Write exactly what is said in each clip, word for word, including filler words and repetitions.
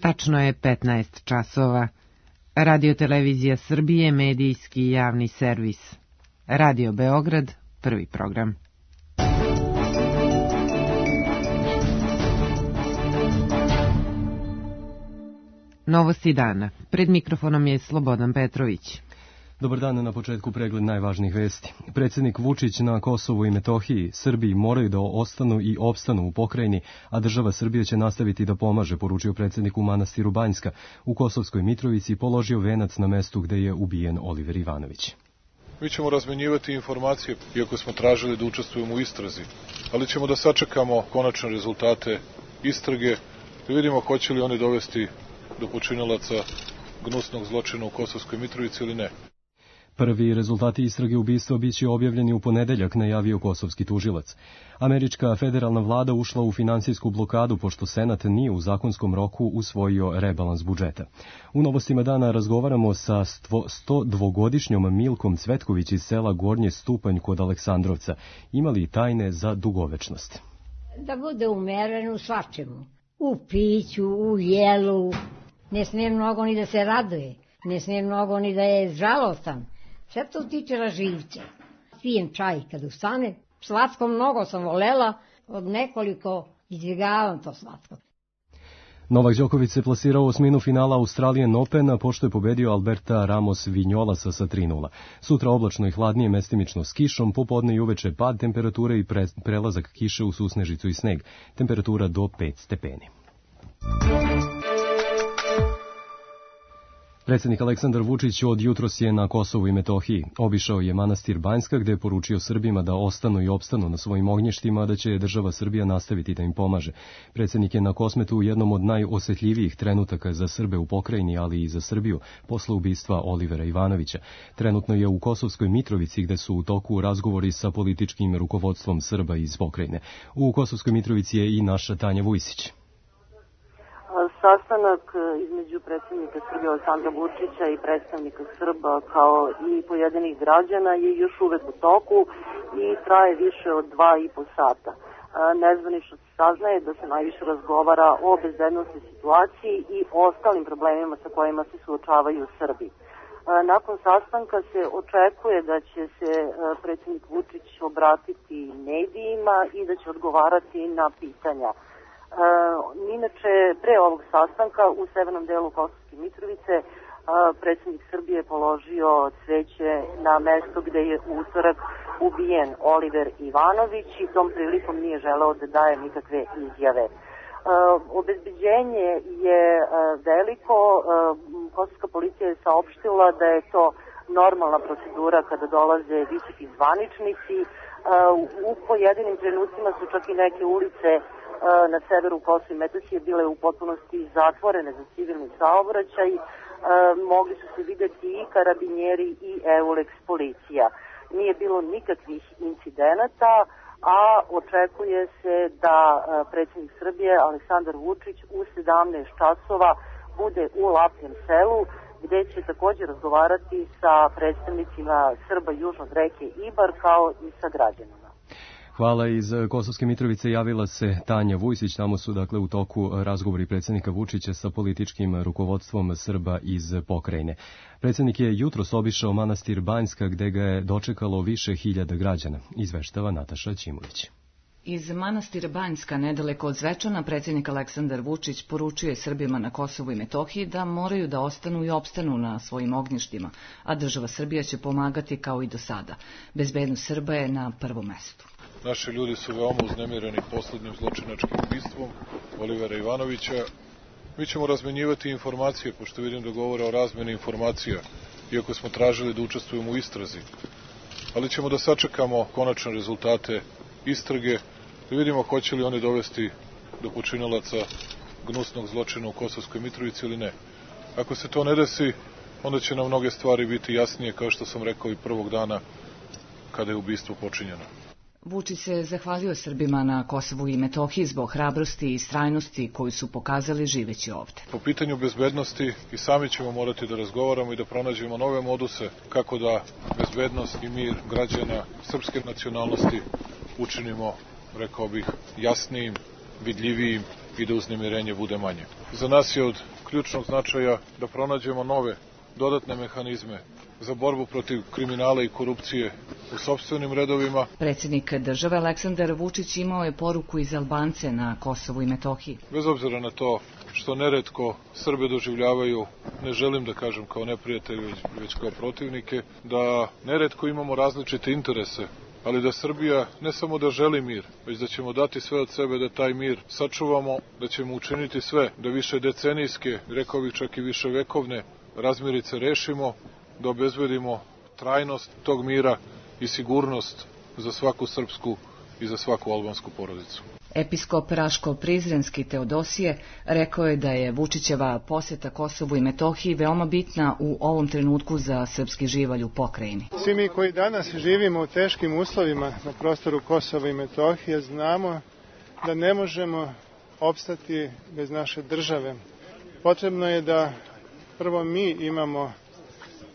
Tačno je petnaest časova. Radio-televizija Srbije, medijski javni servis. Radio Beograd, prvi program. Novosti dana. Pred mikrofonom je Slobodan Petrović. Dobar dan, na početku pregled najvažnijih vesti. Predsjednik Vučić na Kosovu i Metohiji, Srbiji moraju da ostanu i opstanu u pokrajini, a država Srbije će nastaviti da pomaže, poručio predsjednik u manastiru Banjska. U Kosovskoj Mitrovici položio venac na mestu gde je ubijen Oliver Ivanović. Mi ćemo razmenjivati informacije, iako smo tražili da učestvujemo u istrazi, ali ćemo da sačekamo konačne rezultate istrage, da vidimo hoće li oni dovesti do počinilaca gnusnog zločina u Kosovskoj Mitrovici ili ne. Prvi rezultati istrage ubistva biće objavljeni u ponedeljak, najavio kosovski tužilac. Američka federalna vlada ušla u finansijsku blokadu pošto Senat nije u zakonskom roku usvojio rebalans budžeta. U novostima dana razgovaramo sa sto dvogodišnjom Milkom Cvetković iz sela Gornje Stupanj kod Aleksandrovca. Imali tajne za dugovečnost? Da bude umeren u svačemu. U piću, u jelu. Ne smije mnogo ni da se raduje. Ne smije mnogo ni da je žalostan. Sve to tiče raživća. Pijem čaj kad ustane. Slatko mnogo sam volela, od nekoliko izbjegavam to slatko. Novak Đoković se plasirao u osminu finala Australian Opena pošto je pobedio Alberta Ramos Vinjolasa sa tri nula. Sutra oblačno i hladnije, mestimično s kišom, popodne i uveče pad temperature i pre, prelazak kiše u susnežicu i sneg. Temperatura do pet stepeni. Predsjednik Aleksandar Vučić od jutros je na Kosovu i Metohiji. Obišao je manastir Banjska gde je poručio Srbima da ostanu i opstanu na svojim ognjištima, da će država Srbija nastaviti da im pomaže. Predsjednik je na Kosmetu u jednom od najosetljivijih trenutaka za Srbe u pokrajini, ali i za Srbiju, posle ubistva Olivera Ivanovića. Trenutno je u Kosovskoj Mitrovici gde su u toku razgovori sa političkim rukovodstvom Srba iz pokrajine. U Kosovskoj Mitrovici je i naša Tanja Vujsić. Sastanak između predsjednika Srbije Aleksandra Vučića i predstavnika Srba kao i pojedinih građana je još uvek u toku i traje više od dva i po sata. Nezvanično se saznaje da se najviše razgovara o bezbednostnoj situaciji i ostalim problemima sa kojima se suočavaju Srbi. Nakon sastanka se očekuje da će se predsjednik Vučić obratiti medijima i da će odgovarati na pitanja. Uh, inače, pre ovog sastanka u severnom delu Kosovske Mitrovice uh, predsjednik Srbije je položio cveće na mesto gde je u utorak ubijen Oliver Ivanović i tom prilikom nije želeo da daje nikakve izjave. Uh, obezbeđenje je uh, veliko. Uh, Kosovska policija je saopštila da je to normalna procedura kada dolaze visoki zvaničnici. Uh, u pojedinim trenucima su čak i neke ulice na severu Kosova i Metohije bile u potpunosti zatvorene za civilni saobraćaj. E, mogli su se videti i karabinjeri i Euleks policija. Nije bilo nikakvih incidenata, a očekuje se da predsjednik Srbije Aleksandar Vučić u sedamnaest časova bude u Lapljem selu, gde će također razgovarati sa predstavnicima Srba južno od reke Ibar kao i sa građanima. Hvala. Iz Kosovske Mitrovice javila se Tanja Vujsić. Tamo su dakle u toku razgovori predsjednika Vučića sa političkim rukovodstvom Srba iz pokrajine. Predsjednik je jutros obišao manastir Banjska gde ga je dočekalo više hiljada građana, izveštava Nataša Ćimović. Iz manastira Banjska, nedaleko od Zvečana, predsjednik Aleksandar Vučić poručuje Srbima na Kosovu i Metohiji da moraju da ostanu i opstanu na svojim ognjištima, a država Srbija će pomagati kao i do sada. Bezbednost Srba je na prvom mestu. Naši ljudi su veoma uznemireni poslednjim zločinačkim ubistvom Olivera Ivanovića. Mi ćemo razmenjivati informacije, pošto vidim da govore o razmeni informacija, iako smo tražili da učestvujemo u istrazi. Ali ćemo da sačekamo konačne rezultate istrage, da vidimo hoće li oni dovesti do počinilaca gnusnog zločina u Kosovskoj Mitrovici ili ne. Ako se to ne desi, onda će nam mnoge stvari biti jasnije, kao što sam rekao i prvog dana kada je ubistvo počinjeno. Vučić se zahvalio Srbima na Kosovu i Metohiji zbog hrabrosti i istrajnosti koju su pokazali živeći ovde. Po pitanju bezbednosti i sami ćemo morati da razgovaramo i da pronađemo nove moduse kako da bezbednost i mir građana srpske nacionalnosti učinimo, rekao bih, jasnijim, vidljivijim i da uznemirenje bude manje. Za nas je od ključnog značaja da pronađemo nove, dodatne mehanizme za borbu protiv kriminala i korupcije u sopstvenim redovima. Predsjednik države Aleksandar Vučić imao je poruku iz Albance na Kosovu i Metohiji. Bez obzira na to što neretko Srbe doživljavaju, ne želim da kažem kao neprijatelje, već kao protivnike, da neretko imamo različite interese, ali da Srbija ne samo da želi mir, već da ćemo dati sve od sebe da taj mir sačuvamo, da ćemo učiniti sve da više decenijske, rekao bih čak i više vekovne razmirice rešimo, da obezbedimo trajnost tog mira i sigurnost za svaku srpsku i za svaku albansku porodicu. Episkop Raško-Prizrenski Teodosije rekao je da je Vučićeva poseta Kosovu i Metohiji veoma bitna u ovom trenutku za srpski živalj u pokrajini. Svi mi koji danas živimo u teškim uslovima na prostoru Kosova i Metohije znamo da ne možemo opstati bez naše države. Potrebno je da prvo mi imamo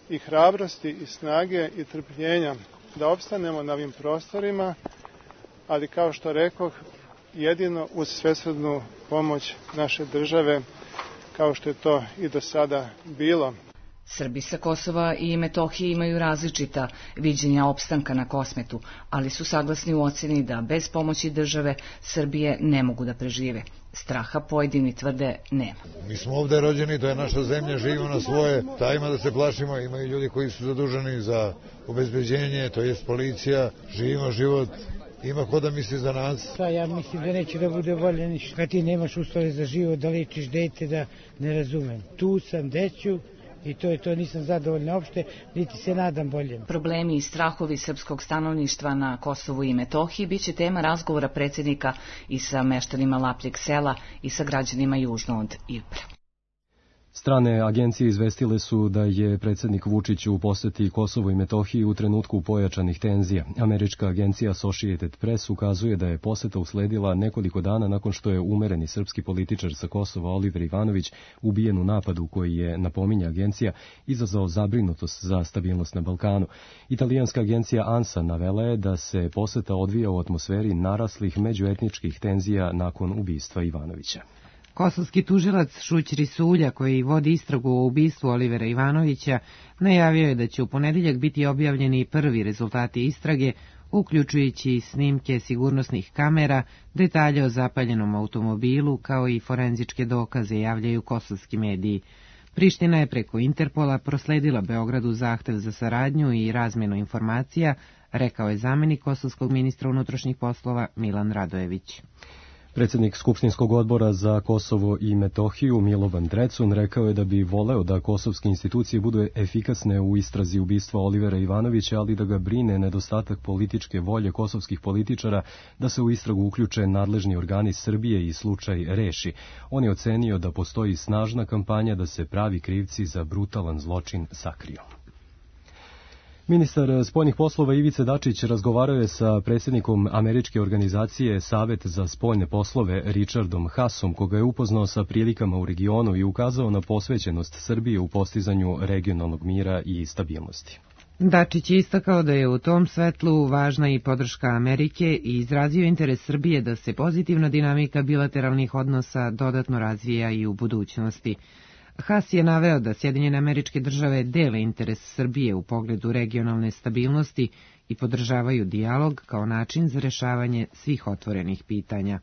i hrabrosti i snage i trpljenja da opstanemo na ovim prostorima, ali kao što rekoh, jedino uz svesrdnu pomoć naše države, kao što je to i do sada bilo. Srbi sa Kosova i Metohije imaju različita viđenja opstanka na Kosmetu, ali su saglasni u oceni da bez pomoći države Srbije ne mogu da prežive. Straha pojedini tvrde nema. Mi smo ovde rođeni, to je naša zemlja, živimo na svoje, ta ima da se plašimo, imaju ljudi koji su zaduženi za obezbeđenje, to jest policija, živimo život. Ima ko da misli za nas? Pa ja mislim da neće da bude bolje ništa. Kad ti nemaš uslove za život, da lečiš dete, da ne razumem. Tu sam, deću, i to je to, nisam zadovoljna opšte, niti se nadam boljem. Problemi i strahovi srpskog stanovništva na Kosovu i Metohiji biće tema razgovora predsjednika i sa meštanima Lapljeg sela i sa građanima južno od Irpra. Strane agencije izvestile su da je predsjednik Vučić u poseti Kosovo i Metohiji u trenutku pojačanih tenzija. Američka agencija Associated Press ukazuje da je poseta usledila nekoliko dana nakon što je umereni srpski političar sa Kosova Oliver Ivanović ubijen u napadu koji je, napominje agencija, izazvao zabrinutost za stabilnost na Balkanu. Italijanska agencija ANSA navela je da se poseta odvija u atmosferi naraslih međuetničkih tenzija nakon ubistva Ivanovića. Kosovski tužilac Šućri Sulja, koji vodi istragu o ubistvu Olivera Ivanovića, najavio je da će u ponedjeljak biti objavljeni prvi rezultati istrage, uključujući snimke sigurnosnih kamera, detalje o zapaljenom automobilu, kao i forenzičke dokaze, javljaju kosovski mediji. Priština je preko Interpola prosledila Beogradu zahtev za saradnju i razmjenu informacija, rekao je zamenik kosovskog ministra unutrašnjih poslova Milan Radojević. Predsjednik Skupštinskog odbora za Kosovo i Metohiju Milovan Drecun rekao je da bi voleo da kosovske institucije budu efikasne u istrazi ubistva Olivera Ivanovića, ali da ga brine nedostatak političke volje kosovskih političara da se u istragu uključe nadležni organi Srbije i slučaj reši. On je ocenio da postoji snažna kampanja da se pravi krivci za brutalan zločin sakriju. Ministar spoljnih poslova Ivica Dačić razgovarao je sa predsjednikom američke organizacije Savet za spoljne poslove Richardom Haasom, koga je upoznao sa prilikama u regionu i ukazao na posvećenost Srbije u postizanju regionalnog mira i stabilnosti. Dačić je istakao da je u tom svetlu važna i podrška Amerike i izrazio interes Srbije da se pozitivna dinamika bilateralnih odnosa dodatno razvija i u budućnosti. Haas je naveo da Sjedinjene Američke Države dele interes Srbije u pogledu regionalne stabilnosti i podržavaju dijalog kao način za rešavanje svih otvorenih pitanja.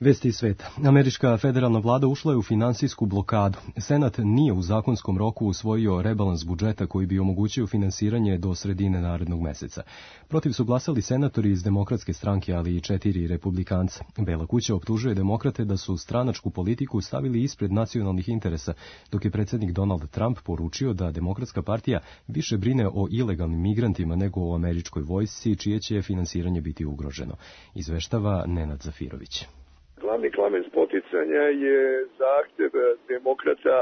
Vesti iz sveta. Američka federalna vlada ušla je u finansijsku blokadu. Senat nije u zakonskom roku usvojio rebalans budžeta koji bi omogućio finansiranje do sredine narednog meseca. Protiv su glasali senatori iz Demokratske stranke, ali i četiri republikanca. Bela kuća optužuje demokrate da su stranačku politiku stavili ispred nacionalnih interesa, dok je predsjednik Donald Trump poručio da Demokratska partija više brine o ilegalnim migrantima nego o američkoj vojsci, čije će finansiranje biti ugroženo. Izveštava Nenad Zafirović. Glavni kamen spoticanja je zahtjev demokrata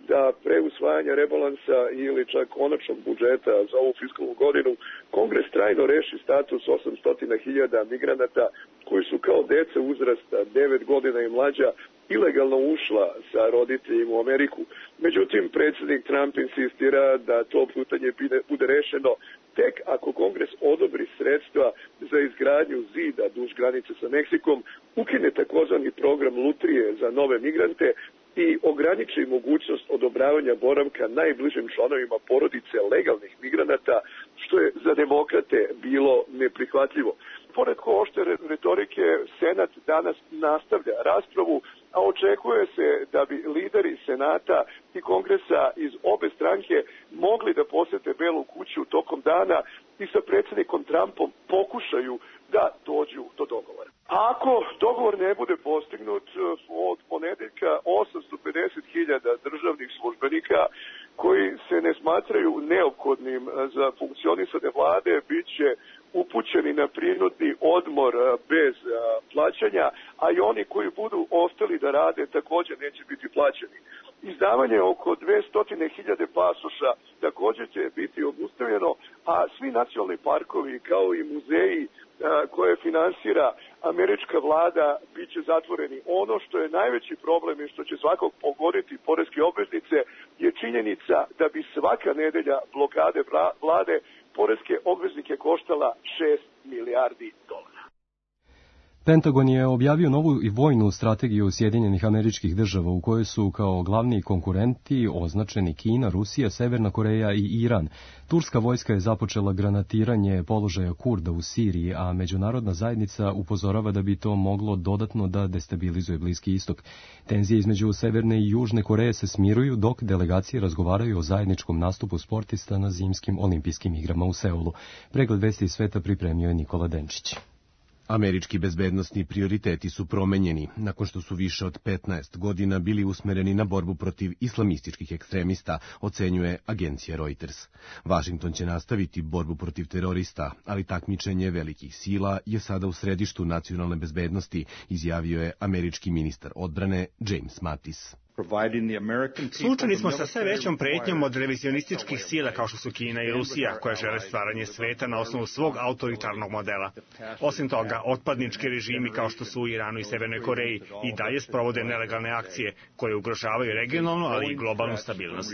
da pre usvajanja rebalansa ili čak konačnog budžeta za ovu fiskalnu godinu Kongres trajno reši status osamsto hiljada migranata koji su kao deca uzrasta devet godina i mlađa ilegalno ušla sa roditeljima u Ameriku. Međutim, predsjednik Trump insistira da to pitanje bude rešeno tek ako Kongres odobri sredstva za izgradnju zida duž granice sa Meksikom, ukine takozvani program lutrije za nove migrante i ograniči mogućnost odobravanja boravka najbližim članovima porodice legalnih migranata, što je za demokrate bilo neprihvatljivo. Pored oštre retorike, Senat danas nastavlja raspravu, a očekuje se da bi lideri Senata i Kongresa iz obe stranke mogli da posete Belu kuću tokom dana i sa predsjednikom Trumpom pokušaju da dođu do dogovora. Ako dogovor ne bude postignut, od ponedeljka osamsto pedeset hiljada državnih službenika koji se ne smatraju neophodnim za funkcionisanje vlade bit će upućeni na prinudni odmor bez plaćanja, a i oni koji budu ostali da rade također neće biti plaćeni. Izdavanje oko dvesta hiljada pasoša također će biti obustavljeno, a svi nacionalni parkovi kao i muzeji koje finansira američka vlada bit će zatvoreni. Ono što je najveći problem i što će svakog pogoditi poreske obveznice je činjenica da bi svaka nedelja blokade vlade poreske obveznike koštala šest milijardi dolara. Pentagon je objavio novu i vojnu strategiju Sjedinjenih Američkih Država u kojoj su kao glavni konkurenti označeni Kina, Rusija, Severna Koreja i Iran. Turska vojska je započela granatiranje položaja Kurda u Siriji, a međunarodna zajednica upozorava da bi to moglo dodatno da destabilizuje Bliski istok. Tenzije između Severne i Južne Koreje se smiruju dok delegacije razgovaraju o zajedničkom nastupu sportista na zimskim olimpijskim igrama u Seulu. Pregled vesti iz sveta pripremio je Nikola Denčić. Američki bezbednosni prioriteti su promenjeni, nakon što su više od petnaest godina bili usmereni na borbu protiv islamističkih ekstremista, ocenjuje agencija Reuters. Vašington će nastaviti borbu protiv terorista, ali takmičenje velikih sila je sada u središtu nacionalne bezbednosti, izjavio je američki ministar odbrane James Mattis. Suočeni smo sa sve većom pretnjom od revizionističkih sila kao što su Kina i Rusija, koje žele stvaranje sveta na osnovu svog autoritarnog modela. Osim toga, otpadnički režimi kao što su u Iranu i Severnoj Koreji i dalje sprovode nelegalne akcije koje ugrožavaju regionalnu, ali i globalnu stabilnost.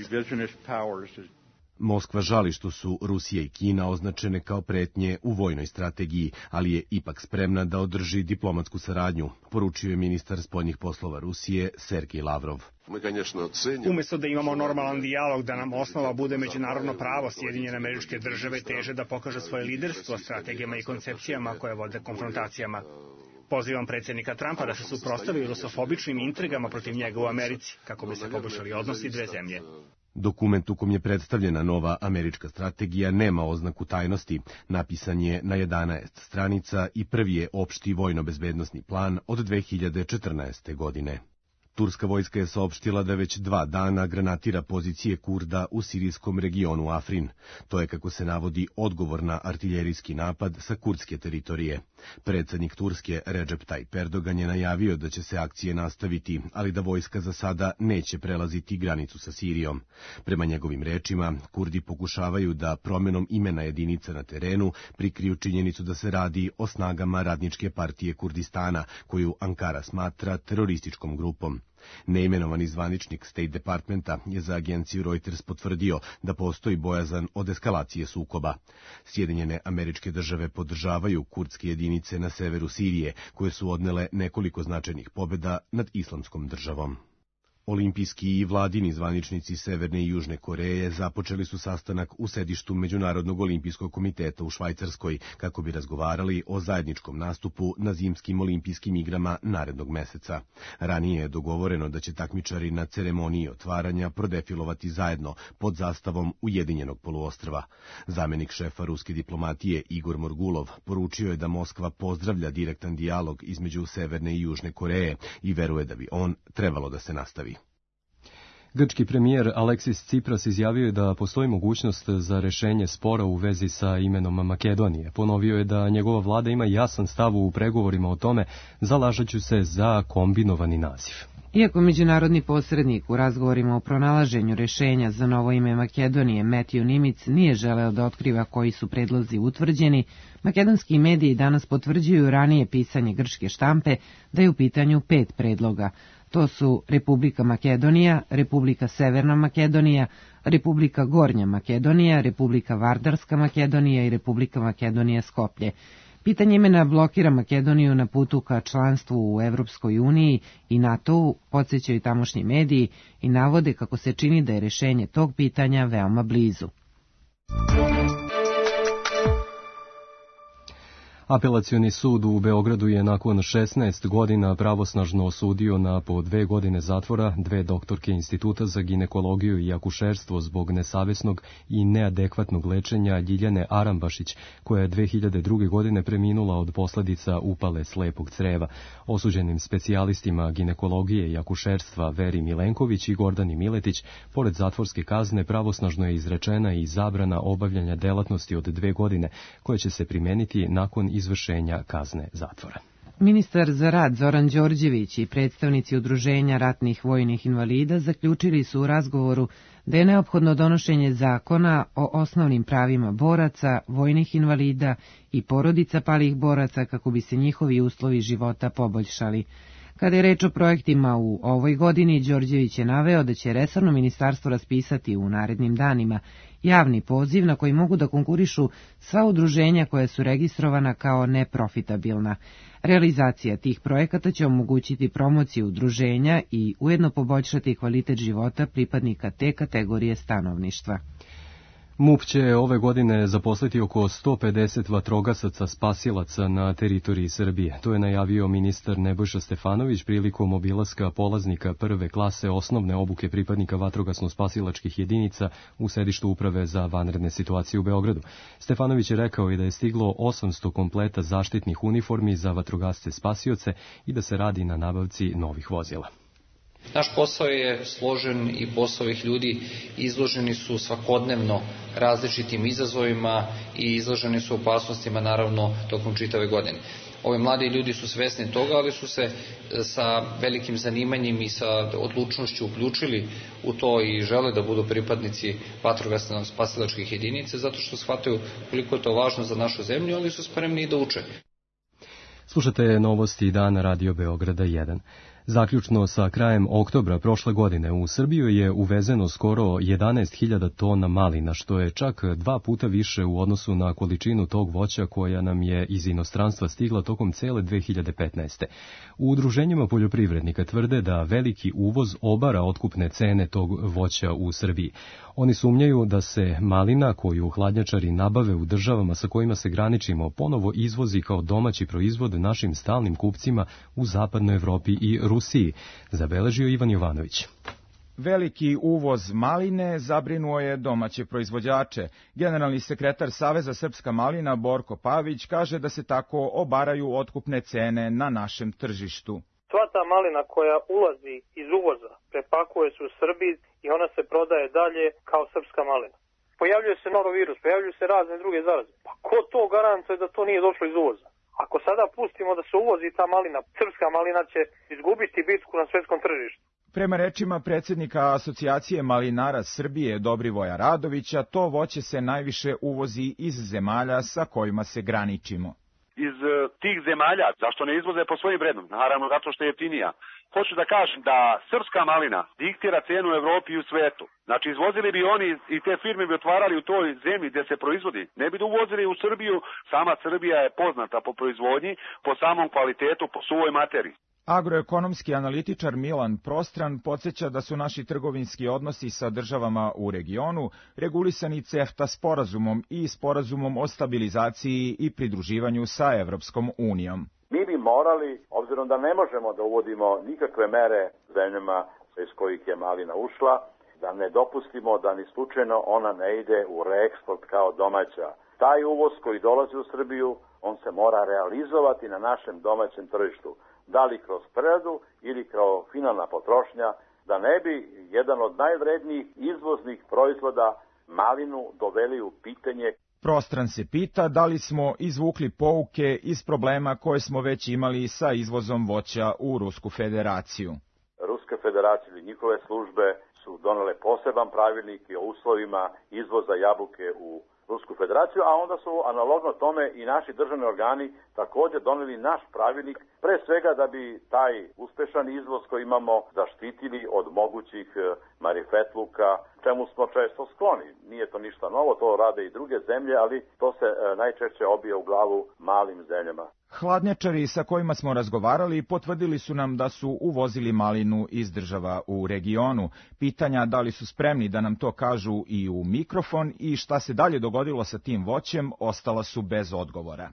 Moskva žali što su Rusija i Kina označene kao pretnje u vojnoj strategiji, ali je ipak spremna da održi diplomatsku saradnju, poručio je ministar spoljnih poslova Rusije Sergej Lavrov. Umesto da imamo normalan dijalog da nam osnova bude međunarodno pravo, Sjedinjene Američke Države teže da pokaže svoje liderstvo strategijama i koncepcijama koje vode konfrontacijama. Pozivam predsjednika Trumpa da se suprotstavi rusofobičnim intrigama protiv njega u Americi, kako bi se poboljšali odnosi dve zemlje. Dokument u kom je predstavljena nova američka strategija nema oznaku tajnosti, napisan je na jedanaest stranica i prvi je opšti vojno-bezbednosni plan od dve hiljade četrnaeste. godine. Turska vojska je saopštila da već dva dana granatira pozicije Kurda u sirijskom regionu Afrin. To je, kako se navodi, odgovor na artiljerijski napad sa kurdske teritorije. Predsjednik Turske Recep Tayyip Erdogan je najavio da će se akcije nastaviti, ali da vojska za sada neće prelaziti granicu sa Sirijom. Prema njegovim rečima, Kurdi pokušavaju da promjenom imena jedinica na terenu prikriju činjenicu da se radi o snagama Radničke partije Kurdistana, koju Ankara smatra terorističkom grupom. Neimenovani zvaničnik State Departmenta je za agenciju Reuters potvrdio da postoji bojazan od eskalacije sukoba. Sjedinjene Američke Države podržavaju kurdske jedinice na severu Sirije, koje su odnele nekoliko značajnih pobjeda nad Islamskom državom. Olimpijski i vladini zvaničnici Severne i Južne Koreje započeli su sastanak u sedištu Međunarodnog olimpijskog komiteta u Švajcarskoj kako bi razgovarali o zajedničkom nastupu na zimskim olimpijskim igrama narednog meseca. Ranije je dogovoreno da će takmičari na ceremoniji otvaranja prodefilovati zajedno pod zastavom Ujedinjenog poluostrva. Zamenik šefa ruske diplomatije Igor Morgulov poručio je da Moskva pozdravlja direktan dijalog između Severne i Južne Koreje i veruje da bi on trebalo da se nastavi. Grčki premijer Aleksis Tsipras izjavio je da postoji mogućnost za rešenje spora u vezi sa imenom Makedonije. Ponovio je da njegova vlada ima jasan stav u pregovorima o tome, zalažući se za kombinovani naziv. Iako međunarodni posrednik u razgovorima o pronalaženju rešenja za novo ime Makedonije Matthew Nimitz nije želeo da otkriva koji su predlozi utvrđeni, makedonski mediji danas potvrđuju ranije pisanje grčke štampe da je u pitanju pet predloga. To su Republika Makedonija, Republika Severna Makedonija, Republika Gornja Makedonija, Republika Vardarska Makedonija i Republika Makedonija Skoplje. Pitanje imena blokira Makedoniju na putu ka članstvu u Evropskoj uniji i NATO-u, podsjećaju tamošnji mediji i navode kako se čini da je rešenje tog pitanja veoma blizu. Apelacioni sud u Beogradu je nakon šesnaest godina pravosnažno osudio na po dve godine zatvora dve doktorke Instituta za ginekologiju i akušerstvo zbog nesavesnog i neadekvatnog lečenja Ljiljane Arambašić, koja je dve hiljade druge. godine preminula od posledica upale slepog creva. Osuđenim specijalistima ginekologije i akušerstva Veri Milenković i Gordani Miletić, pored zatvorske kazne, pravosnažno je izrečena i zabrana obavljanja delatnosti od dve godine, koja će se primeniti nakon izvršenja kazne zatvora. Ministar za rad Zoran Đorđević i predstavnici Udruženja ratnih vojnih invalida zaključili su u razgovoru da je neophodno donošenje zakona o osnovnim pravima boraca, vojnih invalida i porodica palih boraca kako bi se njihovi uslovi života poboljšali. Kada je reč o projektima u ovoj godini, Đorđević je naveo da će resorno ministarstvo raspisati u narednim danima javni poziv na koji mogu da konkurišu sva udruženja koja su registrovana kao neprofitabilna. Realizacija tih projekata će omogućiti promociju udruženja i ujedno poboljšati kvalitet života pripadnika te kategorije stanovništva. MUP će ove godine zaposliti oko sto pedeset vatrogasaca spasilaca na teritoriji Srbije. To je najavio ministar Nebojša Stefanović prilikom obilaska polaznika prve klase osnovne obuke pripadnika vatrogasno-spasilačkih jedinica u sedištu Uprave za vanredne situacije u Beogradu. Stefanović je rekao i da je stiglo osamsto kompleta zaštitnih uniformi za vatrogasce spasioce i da se radi na nabavci novih vozila. Naš posao je složen i posao ovih ljudi izloženi su svakodnevno različitim izazovima i izloženi su opasnostima naravno tokom čitave godine. Ovi mladi ljudi su svesni toga, ali su se sa velikim zanimanjem i sa odlučnošću uključili u to i žele da budu pripadnici vatrogasno-spasilačkih jedinica zato što shvataju koliko je to važno za našu zemlju, ali su spremni i da uče. Slušate novosti dana Radio Beograda jedan. Zaključno sa krajem oktobra prošle godine u Srbiju je uvezeno skoro jedanaest hiljada tona malina, što je čak dva puta više u odnosu na količinu tog voća koja nam je iz inostranstva stigla tokom cele dve hiljade petnaeste. U udruženjima poljoprivrednika tvrde da veliki uvoz obara otkupne cene tog voća u Srbiji. Oni sumnjaju da se malina koju hladnjačari nabave u državama sa kojima se graničimo ponovo izvozi kao domaći proizvod našim stalnim kupcima u zapadnoj Evropi i Rusiji, zabeležio Ivan Jovanović. Veliki uvoz maline zabrinuo je domaće proizvođače. Generalni sekretar Saveza Srpska malina Borko Pavić kaže da se tako obaraju otkupne cene na našem tržištu. Sva ta malina koja ulazi iz uvoza prepakuje se u Srbiji i ona se prodaje dalje kao srpska malina. Pojavljuje se norovirus, pojavljuju se razne druge zaraze. Pa ko to garantuje da to nije došlo iz uvoza? Ako sada pustimo da se uvozi ta malina, srpska malina će izgubiti bitku na svetskom tržištu. Prema rečima predsjednika Asocijacije malinara Srbije Dobrivoja Radovića, to voće se najviše uvozi iz zemalja sa kojima se graničimo. Iz tih zemalja, zašto ne izvoze po svojim vrednom? Naravno, zato što je jeftinija. Hoću da kažem da srpska malina diktira cenu u Evropi i u svetu. Znači, izvozili bi oni i te firme bi otvarali u toj zemlji gdje se proizvodi. Ne bi da uvozili u Srbiju. Sama Srbija je poznata po proizvodnji, po samom kvalitetu, po suvoj materiji. Agroekonomski analitičar Milan Prostran podsjeća da su naši trgovinski odnosi sa državama u regionu regulisani CEFTA sporazumom i sporazumom o stabilizaciji i pridruživanju sa Evropskom unijom. Mi bi morali, obzirom da ne možemo da uvodimo nikakve mere zemljama iz kojih je malina ušla, da ne dopustimo da ni slučajno ona ne ide u reeksport kao domaća. Taj uvoz koji dolazi u Srbiju, on se mora realizovati na našem domaćem tržištu. Da li kroz preradu ili kao finalna potrošnja, da ne bi jedan od najvrednijih izvoznih proizvoda malinu doveli u pitanje. Prostran se pita da li smo izvukli pouke iz problema koje smo već imali sa izvozom voća u Rusku federaciju. Ruska federacija ili njihove službe su donele poseban pravilnik o uslovima izvoza jabuke u Rusku federaciju, a onda su analogno tome i naši državni organi također doneli naš pravilnik, pre svega da bi taj uspešan izvoz koji imamo zaštitili od mogućih marifetluka, čemu smo često skloni. Nije to ništa novo, to rade i druge zemlje, ali to se najčešće obije u glavu malim zemljama. Hladnjačari sa kojima smo razgovarali potvrdili su nam da su uvozili malinu iz država u regionu. Pitanja da li su spremni da nam to kažu i u mikrofon i šta se dalje dogodilo sa tim voćem ostala su bez odgovora.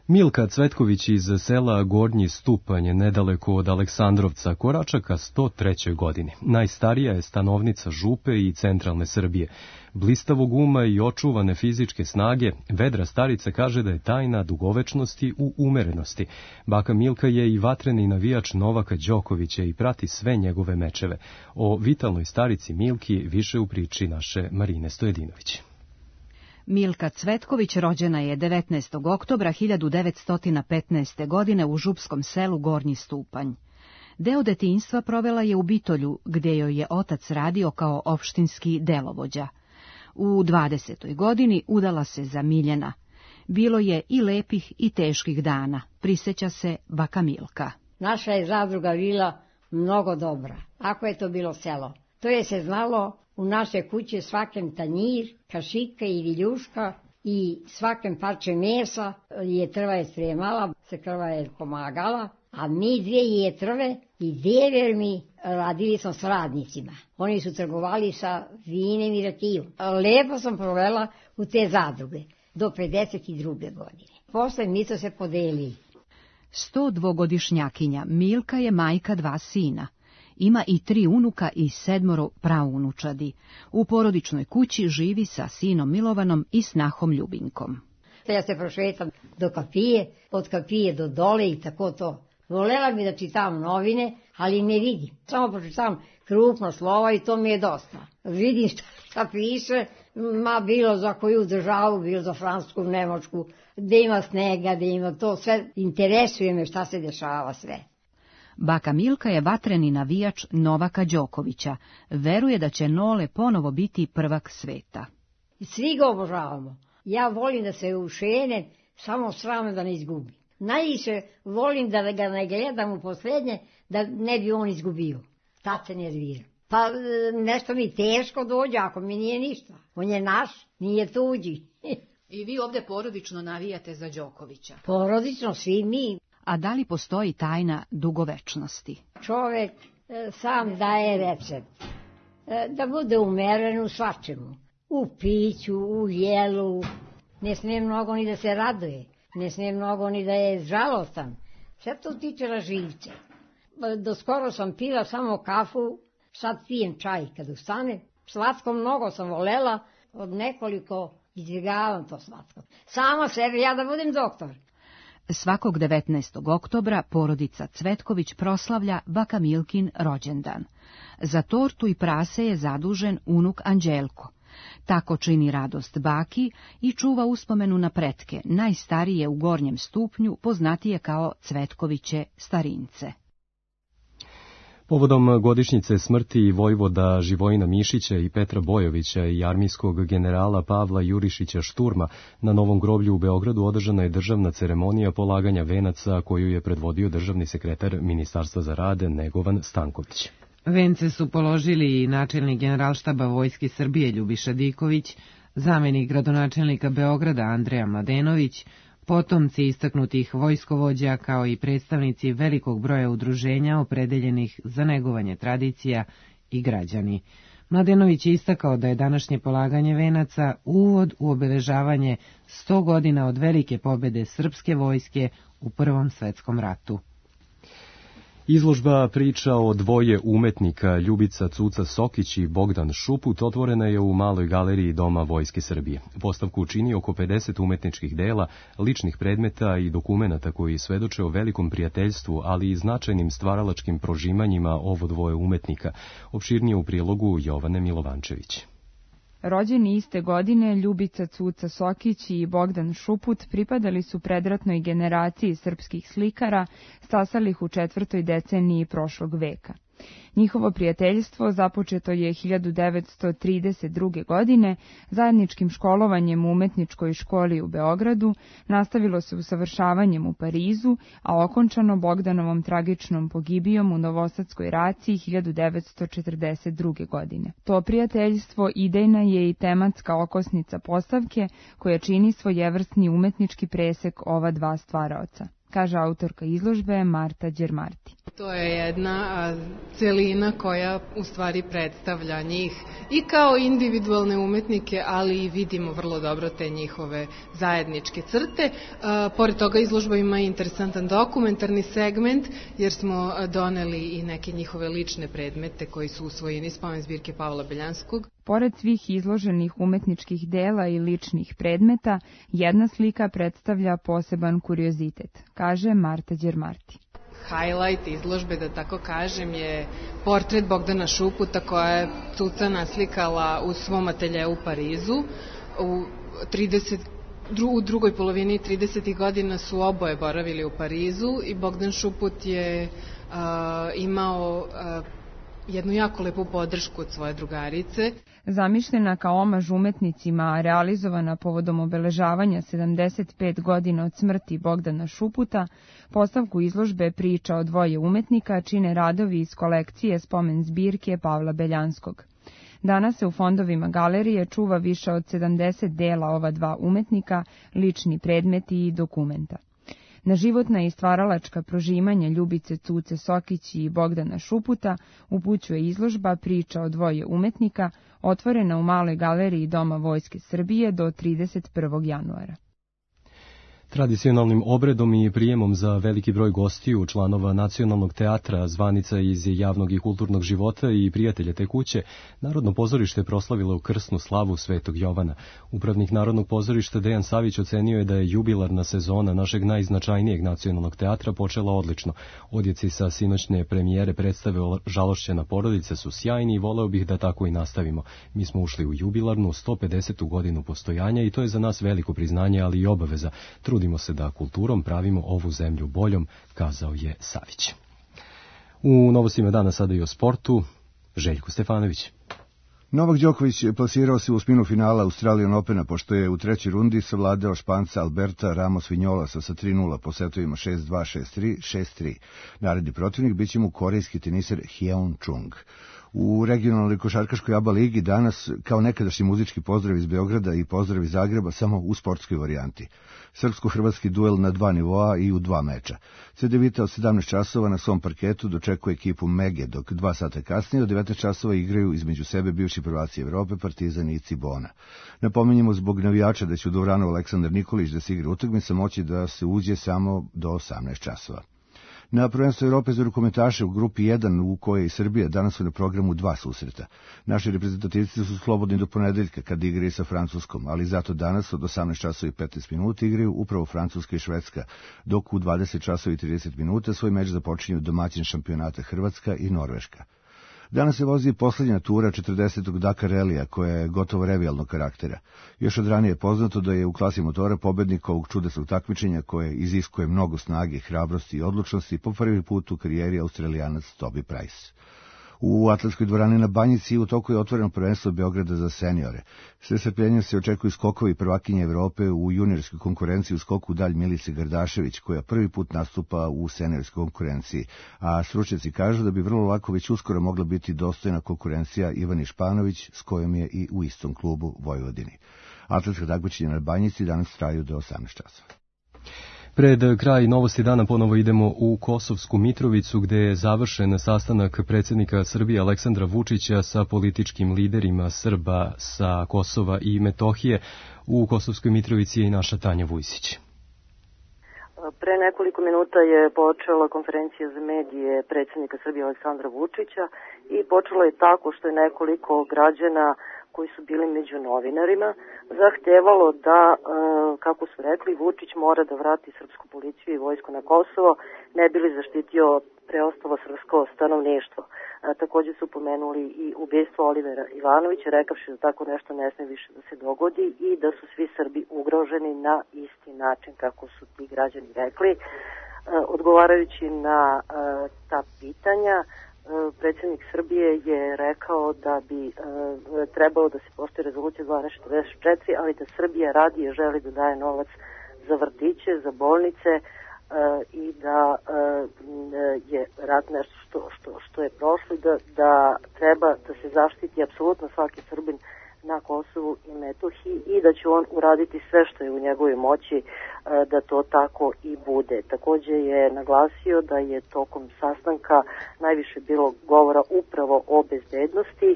Milka Cvetković iz sela Gornji Stupanj, nedaleko od Aleksandrovca, korača ka sto trećoj godini. Najstarija je stanovnica Župe i centralne Srbije. Blistavog uma i očuvane fizičke snage, vedra starica kaže da je tajna dugovečnosti u umerenosti. Baka Milka je i vatreni navijač Novaka Đokovića i prati sve njegove mečeve. O vitalnoj starici Milki više u priči naše Marine Stojedinović. Milka Cvetković rođena je devetnaestog oktobra hiljadu devetsto petnaeste. godine u župskom selu Gornji Stupanj. Deo detinjstva provela je u Bitolju, gdje joj je otac radio kao opštinski delovođa. U dvadesetoj godini udala se za Miljana. Bilo je i lepih i teških dana, prisjeća se baka Milka. Naša je zadruga bila mnogo dobra, ako je to bilo selo. To je se znalo u naše kuće svakem tanjir, kašika i viljuška i svakem parče mesa je trva je spremala, se krva je pomagala, a mi dvije je trve i dever mi radili smo s radnicima. Oni su trgovali sa vinem i rakijom. Lepo sam provela u te zadruge do pedeset druge godine. Posle mi su se podelili. sto dvogodišnjakinja Milka je majka dva sina. Ima i tri unuka i sedmoro praunučadi. U porodičnoj kući živi sa sinom Milovanom i snahom Ljubinkom. Ja se prošetam do kapije, od kapije do dole i tako to. Volela bi da čitam novine, ali ne vidim. Samo pročitam krupno slova i to mi je dosta. Vidim šta, šta piše, ma bilo za koju državu, bilo za Francusku, Nemačku, gde ima snega, gde ima to, sve interesuje me šta se dešava sve. Baka Milka je vatreni navijač Novaka Đokovića. Veruje da će Nole ponovo biti prvak sveta. Svi ga obožavamo. Ja volim da se ušene, samo sram da ne izgubi. Najviše volim da ga ne gledam u posljednje, da ne bi on izgubio. Tad se nervira. Pa nešto mi teško dođe, ako mi nije ništa. On je naš, nije tuđi. I vi ovdje porodično navijate za Đokovića? Porodično, svi mi. A da li postoji tajna dugovečnosti? Čovjek e, sam daje recept. E, da bude umeren u svačemu. U piću, u jelu. Ne smije mnogo ni da se raduje. Ne smije mnogo ni da je žalostan. Sve to tiče raživce. E, do skoro sam pila samo kafu, sad pijem čaj kad ustane. Slatko mnogo sam volela, od nekoliko izbjegavam to slatko. Sama sebi, ja da budem doktor. Svakog devetnaestog oktobra porodica Cvetković proslavlja baka Milkin rođendan. Za tortu i prase je zadužen unuk Anđelko. Tako čini radost baki i čuva uspomenu na pretke, najstarije u Gornjem Stupnju, poznatije kao Cvetkoviće starince. Povodom godišnjice smrti vojvoda Živojina Mišića i Petra Bojovića i armijskog generala Pavla Jurišića Šturma, na Novom groblju u Beogradu održana je državna ceremonija polaganja venaca koju je predvodio državni sekretar Ministarstva za rad Negovan Stanković. Vence su položili i načelnik generalštaba Vojske Srbije Ljubiša Diković, zamenik gradonačelnika Beograda Andreja Mladenović, potomci istaknutih vojskovođa kao i predstavnici velikog broja udruženja opredeljenih za negovanje tradicija i građani. Mladenović je istakao da je današnje polaganje venaca uvod u obeležavanje sto godina od velike pobjede srpske vojske u Prvom svetskom ratu. Izložba priča o dvoje umetnika, Ljubica Cuca Sokić i Bogdan Šuput, otvorena je u Maloj galeriji Doma Vojske Srbije. Postavku čini oko pedeset umetničkih dela, ličnih predmeta i dokumenata koji svedoče o velikom prijateljstvu, ali i značajnim stvaralačkim prožimanjima ovo dvoje umetnika. Opširnije u prilogu Jovane Milovančević. Rođeni iste godine, Ljubica Cuca Sokić i Bogdan Šuput pripadali su predratnoj generaciji srpskih slikara, stasalih u četvrtoj deceniji prošlog veka. Njihovo prijateljstvo započeto je hiljadu devetsto trideset druge. godine zajedničkim školovanjem u umetničkoj školi u Beogradu, nastavilo se usavršavanjem u Parizu, a okončano Bogdanovom tragičnom pogibijom u Novosadskoj raciji hiljadu devetsto četrdeset druge. godine. To prijateljstvo idejna je i tematska okosnica postavke koja čini svojevrsni umetnički presek ova dva stvaraoca, kaže autorka izložbe Marta Đermarti. To je jedna celina koja u stvari predstavlja njih i kao individualne umetnike, ali i vidimo vrlo dobro te njihove zajedničke crte. Pored toga izložba ima interesantan dokumentarni segment, jer smo doneli i neke njihove lične predmete koji su usvojeni iz spomen zbirke Pavla Beljanskog. Pored svih izloženih umetničkih dela i ličnih predmeta, jedna slika predstavlja poseban kuriozitet, kaže Marta Đermarti. Highlight izložbe, da tako kažem, je portret Bogdana Šuputa koja je Cuca naslikala u svom ateljeu u Parizu. U, trideset, u drugoj polovini tridesetih godina su oboje boravili u Parizu i Bogdan Šuput je uh, imao uh, jednu jako lepu podršku od svoje drugarice. Zamišljena kao omaž umetnicima, a realizovana povodom obeležavanja sedamdeset pet godina od smrti Bogdana Šuputa, postavku izložbe Priča o dvoje umetnika čine radovi iz kolekcije spomen zbirke Pavla Beljanskog. Danas se u fondovima galerije čuva više od sedamdeset dela ova dva umetnika, lični predmeti i dokumenta. Na životna i stvaralačka prožimanja Ljubice Cuce Sokić i Bogdana Šuputa upućuje izložba Priča o dvoje umetnika, otvorena u Maloj galeriji Doma Vojske Srbije do trideset prvog januara. Tradicionalnim obredom i prijemom za veliki broj gostiju, članova Nacionalnog teatra, zvanica iz javnog i kulturnog života i prijatelja te kuće, Narodno pozorište proslavilo krsnu slavu Svetog Jovana. Upravnik Narodnog pozorišta Dejan Savić ocenio je da je jubilarna sezona našeg najznačajnijeg nacionalnog teatra počela odlično. Odjeci sa sinoćne premijere predstave Žalošćena porodica su sjajni i voleo bih da tako i nastavimo. Mi smo ušli u jubilarnu sto pedesetu godinu postojanja i to je za nas veliko priznanje, ali i obaveza. Trudimo se da kulturom pravimo ovu zemlju boljom, kazao je Savić. U novostima dana sada i o sportu, Željko Stefanović. Novak Đoković plasirao se u osminu finala Australian Opena, pošto je u trećoj rundi savladao Španca Alberta Ramos Vinolasa sa tri nula po setovima šest dva, šest tri, šest tri. Naredni protivnik biće mu korejski teniser Hyeon Chung. U regionalnoj košarkaškoj A B A ligi danas, kao nekadašnji muzički pozdrav iz Beograda i pozdrav iz Zagreba, samo u sportskoj varijanti. Srpsko-hrvatski duel na dva nivoa i u dva meča. Cedevita od sedamnaest časova na svom parketu dočekuje ekipu Mege, dok dva sata kasnije od devetnaest časova igraju između sebe bivši prvaci Evrope, Partizan i Cibona. Napominjemo zbog navijača da će u Dovranu Aleksandar Nikolić da se igra utakmica moći da se uđe samo do osamnaest časova. Na prvenstvu Evrope za rukometaše u grupi jedan, u kojoj je i Srbija, danas su na programu dva susreta. Naši reprezentativci su slobodni do ponedeljka kad igraju sa Francuskom, ali zato danas od osamnaest časova i petnaest minuta igraju upravo Francuska i Švedska, dok u dvadeset časova i trideset minuta svoj meč započinju domaćin šampionata Hrvatska i Norveška. Danas se vozi posljednja tura četrdesetog Dakar Relija, koja je gotovo revijalnog karaktera. Još od ranije je poznato da je u klasi motora pobednik ovog čudesnog takmičenja koje iziskuje mnogo snage, hrabrosti i odlučnosti po prvi put u karijeri Australijanac Toby Price. U atletskoj dvorani na Banjici u toku je otvoreno prvenstvo Beograda za seniore. Sve strpljenjem se očekuju skokovi prvakinje Evrope u juniorskoj konkurenciji u skoku dalj Milice Gardašević, koja prvi put nastupa u seniorskoj konkurenciji, a stručnjaci kažu da bi vrlo lako već uskoro mogla biti dostojna konkurencija Ivani Španović, s kojom je i u istom klubu Vojvodini. Atletska takmičenja na Banjici danas traju do osamnaest časova. Pred kraj novosti dana ponovo idemo u Kosovsku Mitrovicu, gde je završen sastanak predsjednika Srbije Aleksandra Vučića sa političkim liderima Srba sa Kosova i Metohije. U Kosovskoj Mitrovici je i naša Tanja Vujsić. Pre nekoliko minuta je počela konferencija za medije predsjednika Srbije Aleksandra Vučića i počela je tako što je nekoliko građana koji su bili među novinarima zahtevalo da, kako su rekli, Vučić mora da vrati srpsku policiju i vojsku na Kosovo, ne bi li zaštitio preostalo srpsko stanovništvo. Također su pomenuli i ubistvo Olivera Ivanovića, rekavši da tako nešto ne sme više da se dogodi i da su svi Srbi ugroženi na isti način kako su ti građani rekli. Odgovarajući na ta pitanja, predsjednik Srbije je rekao da bi e, trebalo da se poštuje rezolucija dvanaest četrdeset četiri, ali da Srbija radi i želi da daje novac za vrtiće, za bolnice e, i da e, je rat nešto što, što, što je prošlo, da, da treba da se zaštiti apsolutno svaki Srbin na Kosovu i Metohiji i da će on uraditi sve što je u njegovoj moći da to tako i bude. Takođe je naglasio da je tokom sastanka najviše bilo govora upravo o bezbednosti.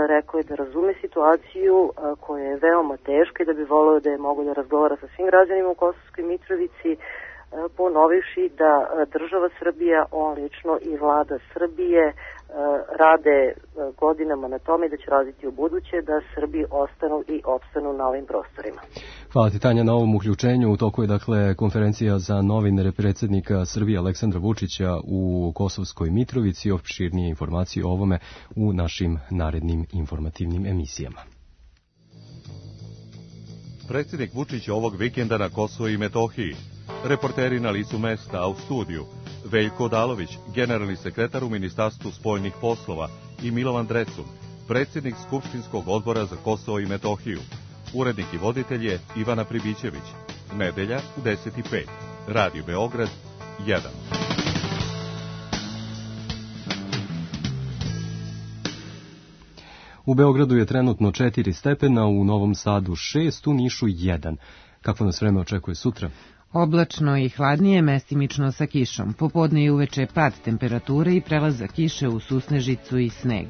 Rekao je da razume situaciju koja je veoma teška i da bi volio da je mogo da razgovara sa svim građanima u Kosovskoj Mitrovici, ponovivši da država Srbija, on lično i vlada Srbije rade godinama na tome da će raditi u buduće da Srbi ostanu i opstanu na ovim prostorima. Hvala ti, Tanja, na ovom uključenju. U toku je dakle konferencija za novinare predsjednika Srbije Aleksandra Vučića u Kosovskoj Mitrovici. Opširnije informacije o ovome u našim narednim informativnim emisijama. Predsjednik Vučić ovog vikenda na Kosovo i Metohiji. Reporteri na licu mesta, a u studiju Veljko Odalović, generalni sekretar u Ministarstvu spoljnih poslova, i Milovan Drecun, predsjednik Skupštinskog odbora za Kosovo i Metohiju. Urednik i voditelj je Ivana Pribićević. Nedelja u deset i pet. Radio Beograd jedan. U Beogradu je trenutno četiri stepena, u Novom Sadu šest, u Nišu jedan. Kakvo nas vreme očekuje sutra? Oblačno i hladnije, mestimično sa kišom. Popodne i uveče pad temperature i prelazak kiše u susnežicu i sneg.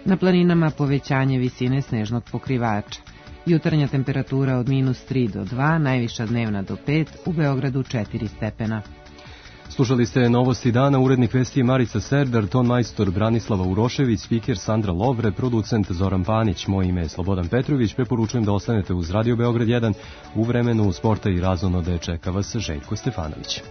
Na planinama povećanje visine snežnog pokrivača. Jutarnja temperatura od minus tri do dva, najviša dnevna do pet, u Beogradu četiri stepena. Slušali ste novosti dana, urednik vesti je Marica Serdar, ton majstor Branislava Urošević, spiker Sandra Lovre, producent Zoran Panić, moje ime je Slobodan Petrović, preporučujem da ostanete uz Radio Beograd jedan, u vremenu sporta i razonode čeka vas Željko Stefanović.